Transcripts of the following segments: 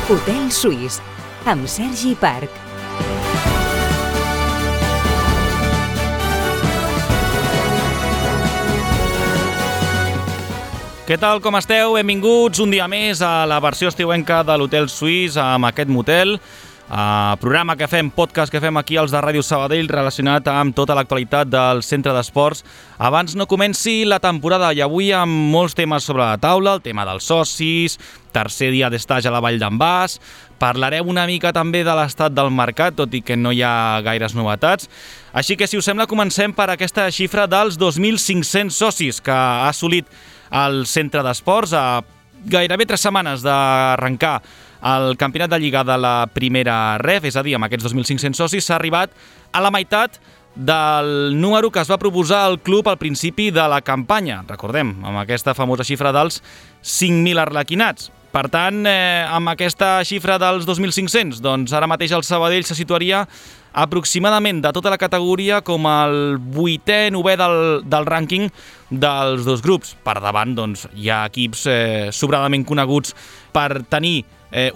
Hotel Suís, amb Sergi Parc. Què tal, com esteu? Benvinguts un dia més a la versió estiuenca de l'Hotel Suís amb aquest motel. Programa que fem, podcast que fem aquí als de Ràdio Sabadell relacionat amb tota l'actualitat del centre d'esports. Abans no comenci la temporada i avui amb molts temes sobre la taula, el tema dels socis, tercer dia d'estatge a la Vall d'en Bas, parlarem una mica també de l'estat del mercat, tot i que no hi ha gaires novetats. Així que, si us sembla, comencem per aquesta xifra dels 2.500 socis que ha assolit el centre d'esports a gairebé 3 setmanes d'arrencar el campionat de Lliga de la primera ref, és a dir, amb aquests 2.500 socis s'ha arribat a la meitat del número que es va proposar al club al principi de la campanya. Recordem, amb aquesta famosa xifra dels 5.000 arlequinats. Per tant, amb aquesta xifra dels 2.500, doncs ara mateix el Sabadell se situaria aproximadament de tota la categoria com el 8è, 9è del rànquing dels dos grups. Per davant doncs, hi ha equips sobradament coneguts per tenir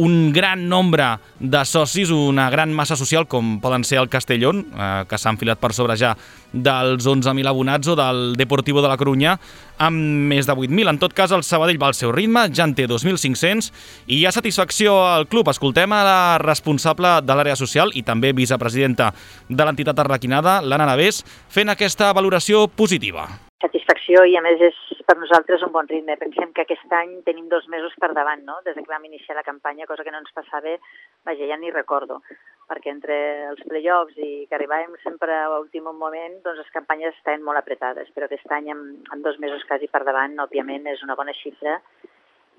un gran nombre de socis, una gran massa social, com poden ser el Castellón, que s'ha enfilat per sobre ja dels 11.000 abonats, o del Deportivo de la Corunya, amb més de 8.000. En tot cas, el Sabadell va al seu ritme, ja en té 2.500, i hi ha satisfacció al club. Escoltem a la responsable de l'àrea social i també vicepresidenta de l'entitat arlequinada, l'Anna Navés, fent aquesta valoració positiva. Satisfacció, i a més és per nosaltres un bon ritme. Pensem que aquest any tenim 2 mesos per davant, no? Des que vam iniciar la campanya, cosa que no ens passava, vaja, ja ni recordo, perquè entre els play-offs i que arribàvem sempre a l'últim moment, doncs les campanyes estaven molt apretades, però aquest any amb 2 mesos quasi per davant, òbviament és una bona xifra,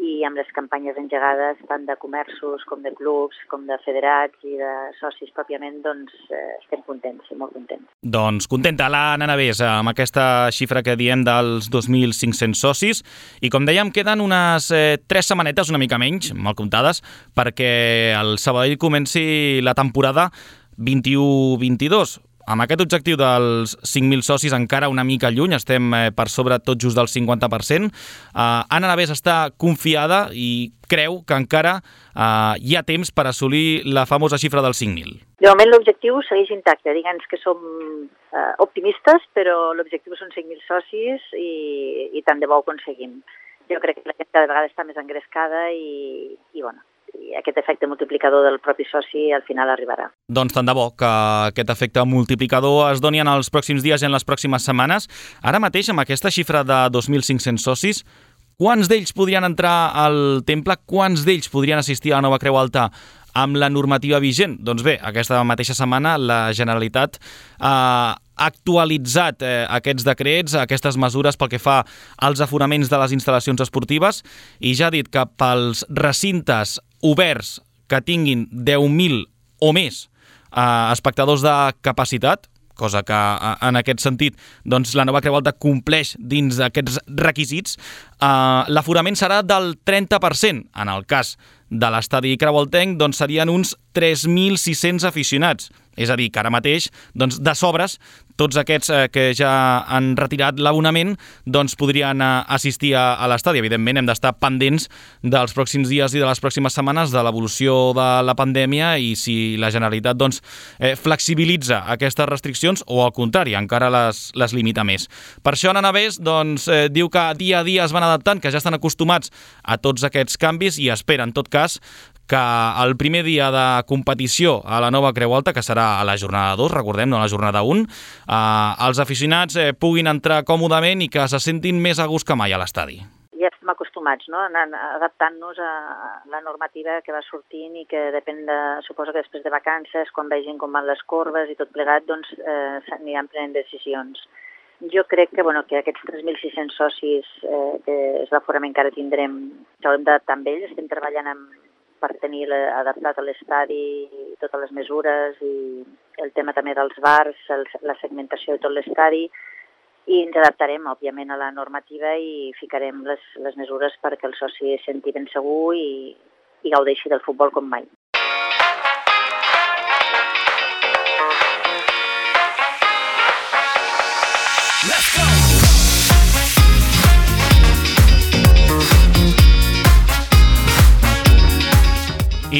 i amb les campanyes engegades tant de comerços com de clubs, com de federats i de socis pròpiament, doncs estem contents, molt contents. Doncs contenta l'Anna Navés amb aquesta xifra que diem dels 2.500 socis, i com dèiem queden unes 3 setmanetes, una mica menys, mal comptades, perquè el Sabadell comenci la temporada 21-22. Amb aquest objectiu dels 5.000 socis encara una mica lluny, estem per sobre tot just del 50%. Anna Navés està confiada i creu que encara hi ha temps per assolir la famosa xifra dels 5.000. De moment l'objectiu segueix intacte, diguem que som optimistes, però l'objectiu són 5.000 socis i tant de bo ho aconseguim. Jo crec que la gent cada vegada està més engrescada i bueno, i aquest efecte multiplicador del propi soci al final arribarà. Doncs tant de bo que aquest efecte multiplicador es doni en els pròxims dies i en les pròximes setmanes. Ara mateix, amb aquesta xifra de 2.500 socis, quants d'ells podrien entrar al temple? Quants d'ells podrien assistir a la nova Creu Alta amb la normativa vigent? Doncs bé, aquesta mateixa setmana la Generalitat ha actualitzat aquests decrets, aquestes mesures pel que fa als aforaments de les instal·lacions esportives, i ja ha dit que pels recintes oberts que tinguin 10.000 o més espectadors de capacitat, cosa que en aquest sentit doncs, la nova Creu Alta compleix dins d'aquests requisits, l'aforament serà del 30%. En el cas de l'estadi creualtenc doncs, serien uns 3.600 aficionats. És a dir, que ara mateix, doncs, de sobres, tots aquests que ja han retirat l'abonament doncs, podrien assistir a l'estadi. Evidentment, hem d'estar pendents dels pròxims dies i de les pròximes setmanes de l'evolució de la pandèmia i si la Generalitat doncs, flexibilitza aquestes restriccions o, al contrari, encara les limita més. Per això, Anna Navés doncs, diu que dia a dia es van adaptant, que ja estan acostumats a tots aquests canvis i espera, en tot cas, que el primer dia de competició a la nova Creu Alta, que serà a la jornada 2, recordem, no a la jornada 1, els aficionats puguin entrar còmodament i que se sentin més a gust que mai a l'estadi. Ja estem acostumats, no?, anant adaptant-nos a la normativa que va sortint i que depèn suposo que després de vacances, quan vegin com van les corbes i tot plegat, doncs s'aniran prenent decisions. Jo crec que, que aquests 3.600 socis que és l'aforament que ara tindrem, s'haurem d'adaptar amb ells, estem treballant per tenir adaptat a l'estadi totes les mesures i el tema també dels bars, la segmentació de tot l'estadi, i ens adaptarem, òbviament, a la normativa i ficarem les mesures perquè el soci es senti ben segur i gaudeixi del futbol com mai.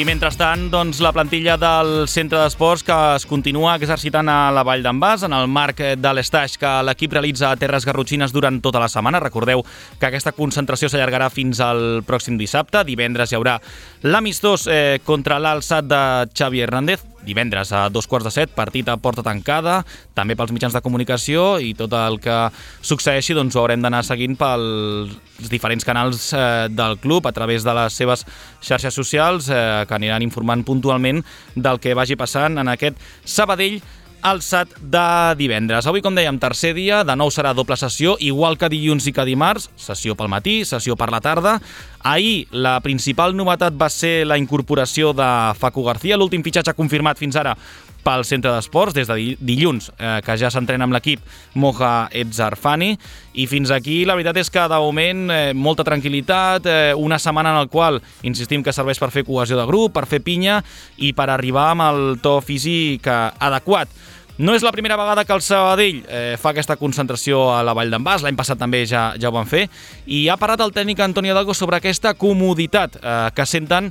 I mentrestant, doncs, la plantilla del centre d'esports que es continua exercitant a la Vall d'en Bas en el marc de l'estaix que l'equip realitza a Terres Garrotxines durant tota la setmana. Recordeu que aquesta concentració s'allargarà fins al pròxim dissabte. Divendres hi haurà l'amistós contra l'Alçat de Xavi Hernández. Divendres a 2:15, partit a porta tancada, també pels mitjans de comunicació, i tot el que succeeixi doncs, ho haurem d'anar seguint pels diferents canals del club a través de les seves xarxes socials que aniran informant puntualment del que vagi passant en aquest Sabadell Alçat de divendres. Avui, com dèiem, tercer dia, de nou serà doble sessió, igual que dilluns i que dimarts, sessió pel matí, sessió per la tarda. Ahir la principal novetat va ser la incorporació de Facu García, l'últim fitxatge confirmat fins ara pel centre d'esports, des de dilluns, que ja s'entrena amb l'equip Moja Etzarfani, i fins aquí la veritat és que de moment molta tranquil·litat, una setmana en la qual insistim que serveix per fer cohesió de grup, per fer pinya i per arribar amb el to físic adequat. No és la primera vegada que el Sabadell fa aquesta concentració a la Vall d'en Bas, l'any passat també ja ho van fer, i ha parlat el tècnic Antoni Hidalgo sobre aquesta comoditat que senten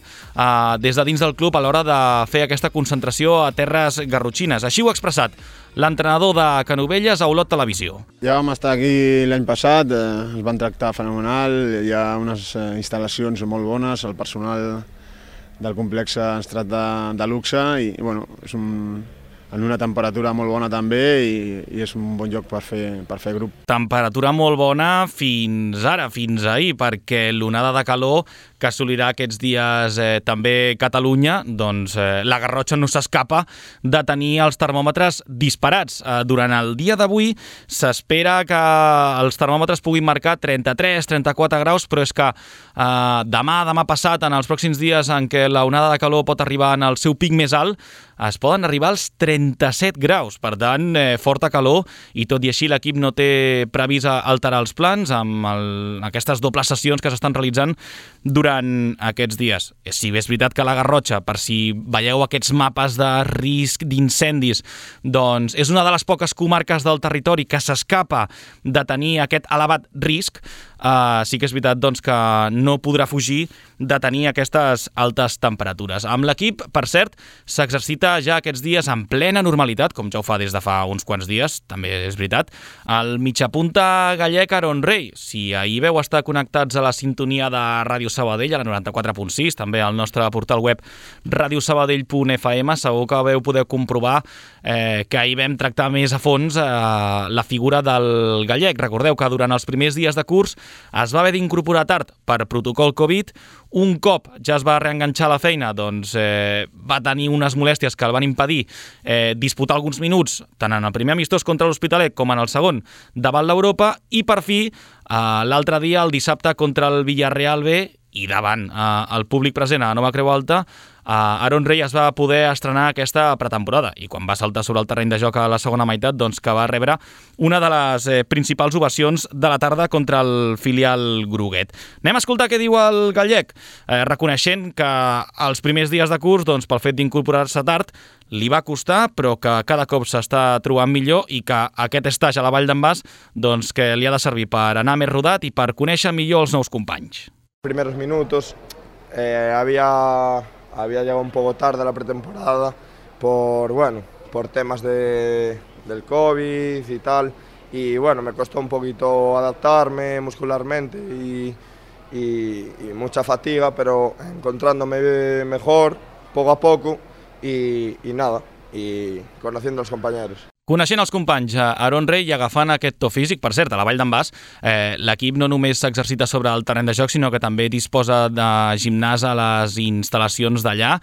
des de dins del club a l'hora de fer aquesta concentració a Terres Garrotxines. Així ho ha expressat l'entrenador de Canovelles a Olot Televisió. Ja vam estar aquí l'any passat, ens van tractar fenomenal, hi ha unes instal·lacions molt bones, el personal del complex ens tracta de luxe i bueno, és en una temperatura molt bona també i és un bon lloc per fer grup. Temperatura molt bona fins ara, fins ahir, perquè l'onada de calor que assolirà aquests dies també Catalunya, doncs la Garrotxa no s'escapa de tenir els termòmetres disparats. Durant el dia d'avui s'espera que els termòmetres puguin marcar 33-34 graus, però és que demà passat, en els pròxims dies en què la onada de calor pot arribar en el seu pic més alt, es poden arribar als 37 graus. Per tant, forta calor, i tot i així l'equip no té previst alterar els plans amb aquestes dobles sessions que s'estan realitzant durant aquests dies. Si bé és veritat que la Garrotxa, per si veieu aquests mapes de risc d'incendis, doncs és una de les poques comarques del territori que s'escapa de tenir aquest elevat risc, sí que és veritat doncs, que no podrà fugir de tenir aquestes altes temperatures. Amb l'equip, per cert, s'exercita ja aquests dies en plena normalitat, com ja ho fa des de fa uns quants dies, també és veritat, el mitjapunta gallec Aaron Rey. Si ahir veu estar connectats a la sintonia de Ràdio Sabadell, a la 94.6, també al nostre portal web radiosabadell.fm, segur que veu poder comprovar que ahir vam tractar més a fons la figura del gallec. Recordeu que durant els primers dies de curs es va haver d'incorporar tard per protocol Covid. Un cop ja es va reenganxar a la feina, doncs va tenir unes molèsties que el van impedir disputar alguns minuts, tant en el primer amistós contra l'Hospitalet com en el segon davant l'Europa, i per fi l'altre dia, el dissabte, contra el Villarreal B, i davant el públic present a Nova Creu Alta, Aaron Rey es va poder estrenar aquesta pretemporada, i quan va saltar sobre el terreny de joc a la segona meitat, doncs que va rebre una de les principals ovacions de la tarda contra el filial groguet. Anem a escoltar què diu el gallec, reconeixent que els primers dies de curs, doncs, pel fet d'incorporar-se tard, li va costar, però que cada cop s'està trobant millor i que aquest estaix a la Vall d'en Bas, doncs, que li ha de servir per anar més rodat i per conèixer millor els nous companys. Primeros minutos había llegado un poco tarde a la pretemporada por temas del COVID y tal, y bueno, me costó un poquito adaptarme muscularmente y mucha fatiga, pero encontrándome mejor poco a poco y conociendo a los compañeros. Coneixent els companys, Aaron Rey, i agafant aquest to físic, per cert, a la Vall d'en Bas, l'equip no només s'exercita sobre el terreny de joc, sinó que també disposa de gimnàs a les instal·lacions d'allà.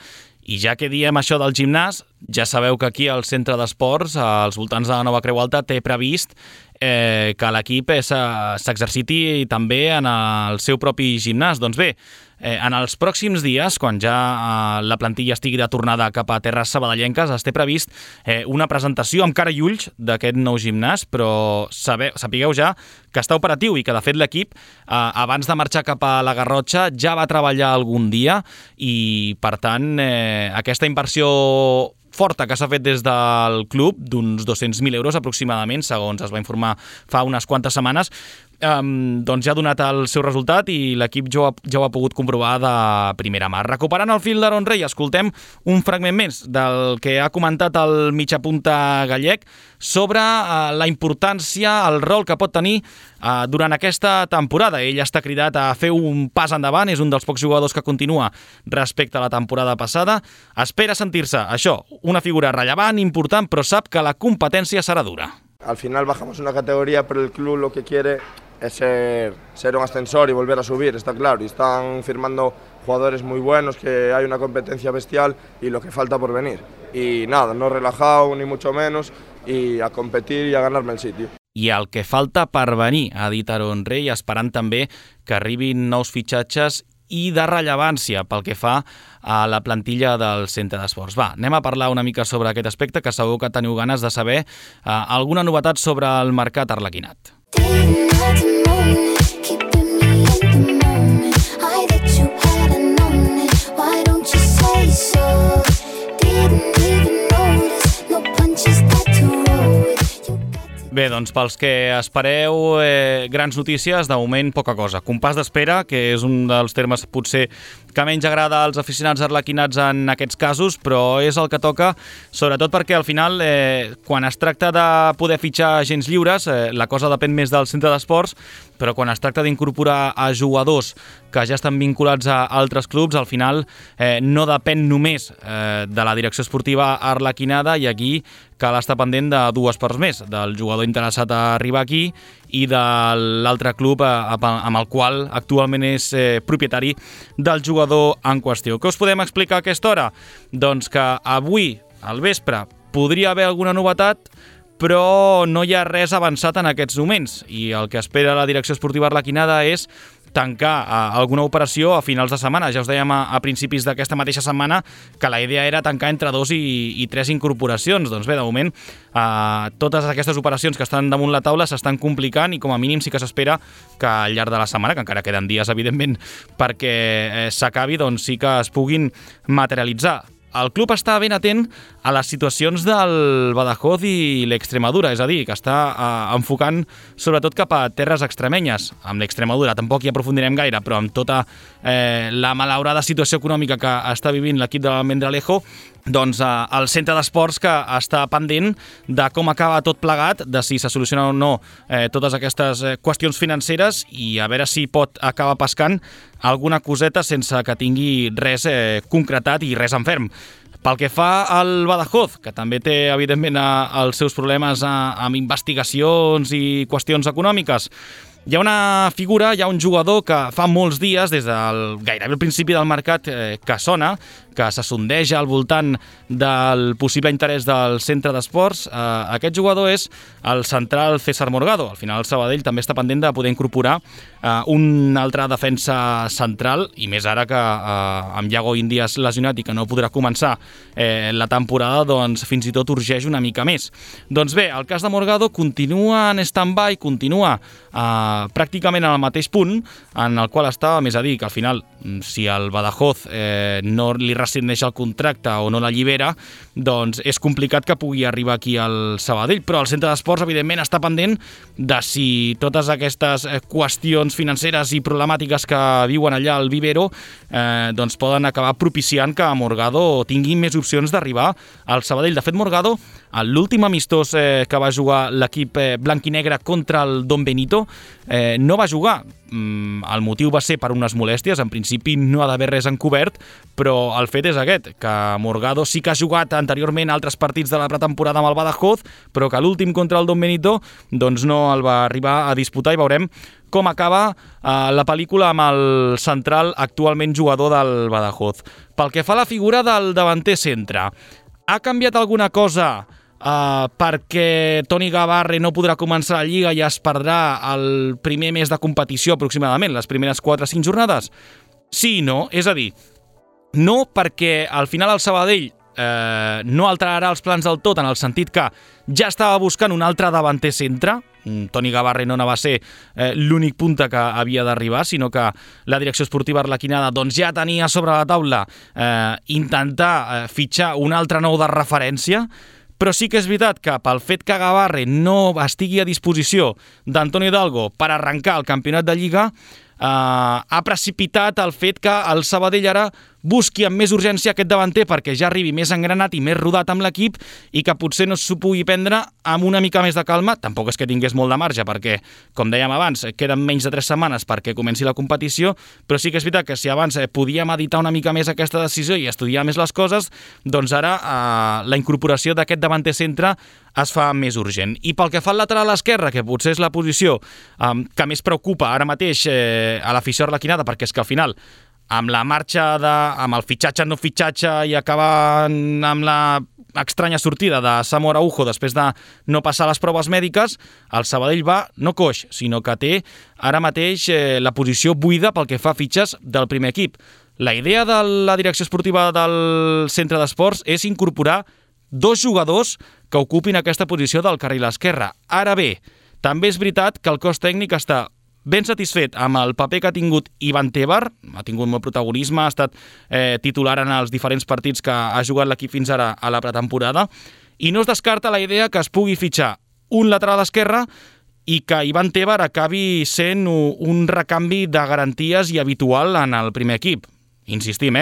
I ja que diem això del gimnàs, ja sabeu que aquí al centre d'esports, als voltants de la Nova Creu Alta, té previst que l'equip s'exerciti també en el seu propi gimnàs. Doncs bé, en els pròxims dies, quan ja la plantilla estigui de tornada cap a terres sabadellenques, es té previst una presentació amb cara i ulls d'aquest nou gimnàs, però sapigueu ja que està operatiu i que, de fet, l'equip, abans de marxar cap a la Garrotxa, ja va treballar algun dia i, per tant, aquesta inversió forta que s'ha fet des del club, d'uns 200.000 euros aproximadament, segons es va informar fa unes quantes setmanes, doncs ja ha donat el seu resultat i l'equip ja ho ha pogut comprovar de primera mà. Recuperant el fil d'Aaron Rey, escoltem un fragment més del que ha comentat el mitjapunta gallec sobre la importància, el rol que pot tenir durant aquesta temporada. Ell està cridat a fer un pas endavant, és un dels pocs jugadors que continua respecte a la temporada passada. Espera sentir-se, això, una figura rellevant, important, però sap que la competència serà dura. Al final bajamos una categoría, pero el club lo que quiere es ser un ascensor y volver a subir, está claro. Y están firmando jugadores muy buenos, que hay una competencia bestial y lo que falta por venir. Y nada, no relajado ni mucho menos, y a competir y a ganarme el sitio. I el que falta per venir, ha dit Aaron Rey, esperant també que arribin nous fitxatges i de rellevància pel que fa a la plantilla del centre d'esports. Va, anem a parlar una mica sobre aquest aspecte, que segur que teniu ganes de saber alguna novetat sobre el mercat arlequinat. Bé, doncs pels que espereu grans notícies, de moment poca cosa. Compàs d'espera, que és un dels termes potser que menys agrada als aficionats arlequinats en aquests casos, però és el que toca, sobretot perquè al final, quan es tracta de poder fitxar agents lliures, la cosa depèn més del centre d'esports, però quan es tracta d'incorporar a jugadors que ja estan vinculats a altres clubs, al final no depèn només de la direcció esportiva arlequinada, i aquí cal estar pendent de dues parts més, del jugador interessat a arribar aquí i de l'altre club amb el qual actualment és propietari del jugador en qüestió. Què us podem explicar a aquesta hora? Doncs que avui, al vespre, podria haver alguna novetat, però no hi ha res avançat en aquests moments, i el que espera la direcció esportiva arlequinada és tancar alguna operació a finals de setmana. Ja us dèiem a principis d'aquesta mateixa setmana que la idea era tancar entre 2 i 3 incorporacions. Doncs bé, de moment, totes aquestes operacions que estan damunt la taula s'estan complicant, i com a mínim sí que s'espera que al llarg de la setmana, que encara queden dies, evidentment, perquè s'acabi, doncs sí que es puguin materialitzar. El club està ben atent a les situacions del Badajoz i l'Extremadura, és a dir, que està enfocant sobretot cap a terres extremenyes. Amb l'Extremadura tampoc hi aprofundirem gaire, però amb tota la malaurada situació econòmica que està vivint l'equip de l'Almendralejo, doncs el centre d'esports que està pendent de com acaba tot plegat, de si se solucionen o no totes aquestes qüestions financeres, i a veure si pot acabar pescant alguna coseta sense que tingui res concretat i res en ferm. Pel que fa al Badajoz, que també té, evidentment, els seus problemes amb investigacions i qüestions econòmiques, hi ha una figura, hi ha un jugador que fa molts dies, des del gairebé al principi del mercat, que sona, que se sondeja al voltant del possible interès del centre d'esports. Aquest jugador és el central César Morgado. Al final el Sabadell també està pendent de poder incorporar un altre defensa central, i més ara que amb Iago Índias lesionat i que no podrà començar la temporada, doncs fins i tot urgeix una mica més. Doncs bé, el cas de Morgado continua en stand-by, continua pràcticament en el mateix punt en el qual estava, més a dir, que al final, si el Badajoz no li rescindeix el contracte o no l'allibera, doncs és complicat que pugui arribar aquí al Sabadell, però el centre d'esports, evidentment, està pendent de si totes aquestes qüestions financeres i problemàtiques que viuen allà al Vivero doncs poden acabar propiciant que Morgado tingui més opcions d'arribar al Sabadell. De fet, Morgado, l'últim amistós que va jugar l'equip blanc-i-negre contra el Don Benito, no va jugar. El motiu va ser per unes molèsties, en principi no ha d'haver res encobert, però el fet és aquest, que Morgado sí que ha jugat anteriorment altres partits de la pretemporada amb el Badajoz, però que l'últim contra el Don Benito doncs no el va arribar a disputar, i veurem com acaba la pel·lícula amb el central actualment jugador del Badajoz. Pel que fa a la figura del davanter centre, ha canviat alguna cosa perquè Toni Gavarre no podrà començar la Lliga i es perdrà el primer mes de competició aproximadament, les primeres 4 o 5 jornades? Sí i no, és a dir, no perquè al final el Sabadell no alterarà els plans del tot, en el sentit que ja estava buscant un altre davanter centre. Toni Gavarre no va ser l'únic punta que havia d'arribar, sinó que la direcció esportiva arlequinada doncs ja tenia sobre la taula intentar fitxar un altre nou de referència, Però sí que és veritat que pel fet que Gabarre no estigui a disposició d'Antonio Hidalgo per arrencar el campionat de Lliga, ha precipitat el fet que el Sabadell ara busqui amb més urgència aquest davanter perquè ja arribi més engranat i més rodat amb l'equip i que potser no s'ho pugui prendre amb una mica més de calma. Tampoc és que tingués molt de marge perquè, com dèiem abans, queden menys de 3 setmanes perquè comenci la competició, però sí que és veritat que si abans podíem editar una mica més aquesta decisió i estudiar més les coses, doncs ara la incorporació d'aquest davanter centre es fa més urgent. I pel que fa al lateral esquerre, que potser és la posició que més preocupa ara mateix a l'afició arlequinada, perquè és que al final amb la marxa, amb el fitxatge no fitxatge i acabant amb la estranya sortida de Samu Araujo després de no passar les proves mèdiques, el Sabadell va no coix, sinó que té ara mateix la posició buida pel que fa a fitxes del primer equip. La idea de la direcció esportiva del centre d'esports és incorporar 2 jugadors que ocupin aquesta posició del carril esquerre. Ara bé, també és veritat que el cos tècnic està ben satisfet amb el paper que ha tingut Ivan Tebar, ha tingut molt protagonisme, ha estat titular en els diferents partits que ha jugat l'equip fins ara a la pretemporada, i no es descarta la idea que es pugui fitxar un lateral esquerre i que Ivan Tebar acabi sent un recanvi de garanties i habitual en el primer equip. Insistim,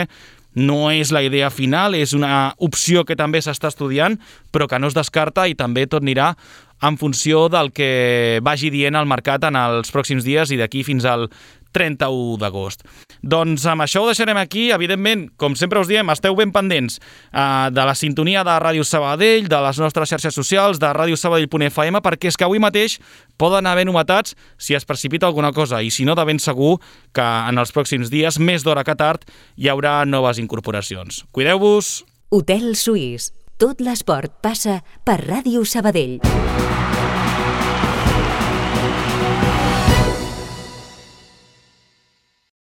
no és la idea final, és una opció que també s'està estudiant, però que no es descarta i també tot anirà en funció del que vagi dient el mercat en els pròxims dies i d'aquí fins al 31 d'agost. Doncs amb això ho deixarem aquí. Evidentment, com sempre us diem, esteu ben pendents de la sintonia de Ràdio Sabadell, de les nostres xarxes socials, de radiosabadell.fm, perquè és que avui mateix poden haver novetats si es precipita alguna cosa, i si no, de ben segur que en els pròxims dies, més d'hora que tard, hi haurà noves incorporacions. Cuideu-vos! Hotel Suís. Tot l'esport passa per Ràdio Sabadell.